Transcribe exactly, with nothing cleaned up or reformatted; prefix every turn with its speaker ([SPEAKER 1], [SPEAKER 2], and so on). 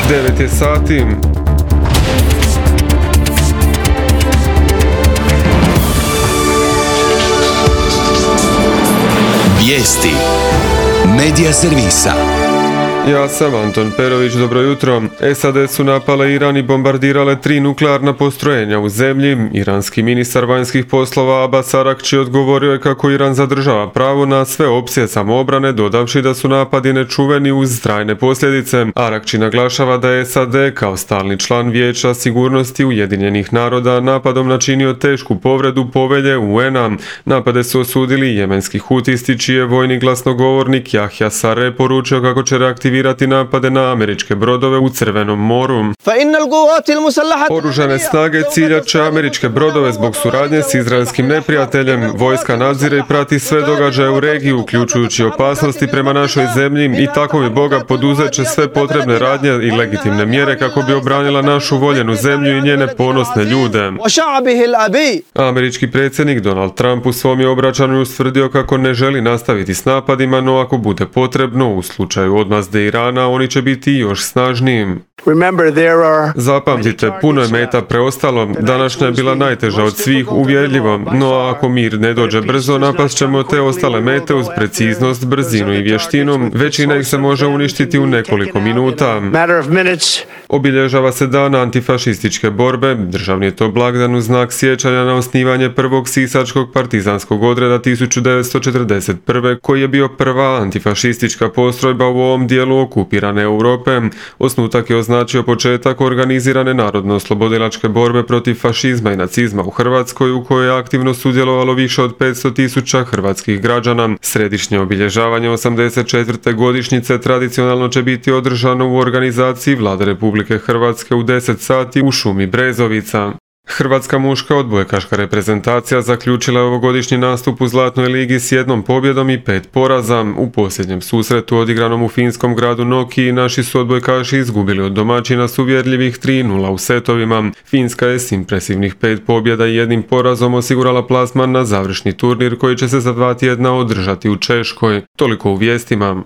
[SPEAKER 1] devet je sati.
[SPEAKER 2] Vijesti Medija servisa.
[SPEAKER 1] Ja sam Anton Perović, dobro jutro. S A D su napale Iran i bombardirale tri nuklearna postrojenja u zemlji. Iranski ministar vanjskih poslova Abbas Arakči odgovorio je kako Iran zadržava pravo na sve opcije samoobrane, dodavši da su napadi nečuveni uz trajne posljedice. Arakči naglašava da je S A D kao stalni član Vijeća sigurnosti Ujedinjenih naroda napadom načinio tešku povredu povelje U N-a. Napade su osudili jemenski hutisti, čiji je vojni glasnogovornik Jahja Sarre poručio kako će reaktivirati napade na američke brodove u Crvenom moru. Oružane snage ciljat će američke brodove zbog suradnje s izraelskim neprijateljem. Vojska nadzire i prati sve događaje u regiji, uključujući opasnosti prema našoj zemlji, i tako mi Boga poduzet će sve potrebne radnje i legitimne mjere kako bi obranila našu voljenu zemlju i njene ponosne ljude. Američki predsjednik Donald Trump u svom je obraćanju ustvrdio kako ne želi nastaviti s napadima, no ako bude potrebno, u slučaju odmazde Irana, oni će biti još snažniji. Zapamtite, puno je meta preostalo. Današnja je bila najteža od svih, uvjerljivo, no ako mir ne dođe brzo, napast ćemo te ostale mete uz preciznost, brzinu i vještinu. Većina ih se može uništiti u nekoliko minuta. Obilježava se dan antifašističke borbe. Državni je to blagdan u znak sjećanja na osnivanje prvog sisačkog partizanskog odreda tisuću devetsto četrdeset prve. koji je bio prva antifašistička postrojba u ovom dijelu okupirane Europe. Osnutak je označio početak organizirane narodno-oslobodilačke borbe protiv fašizma i nacizma u Hrvatskoj, u kojoj je aktivno sudjelovalo više od petsto tisuća hrvatskih građana. Središnje obilježavanje osamdeset četvrte godišnjice tradicionalno će biti održano u organizaciji Vlade Republike Hrvatske u deset sati u šumi Brezovica. Hrvatska muška odbojkaška reprezentacija zaključila je ovogodišnji nastup u Zlatnoj ligi s jednom pobjedom i pet poraza. U posljednjem susretu odigranom u finskom gradu Noki naši su odbojkaši izgubili od domaćina s uvjerljivih tri nula u setovima. Finska je s impresivnih pet pobjeda i jednim porazom osigurala plasman na završni turnir koji će se za dva tjedna održati u Češkoj. Toliko u vijestima.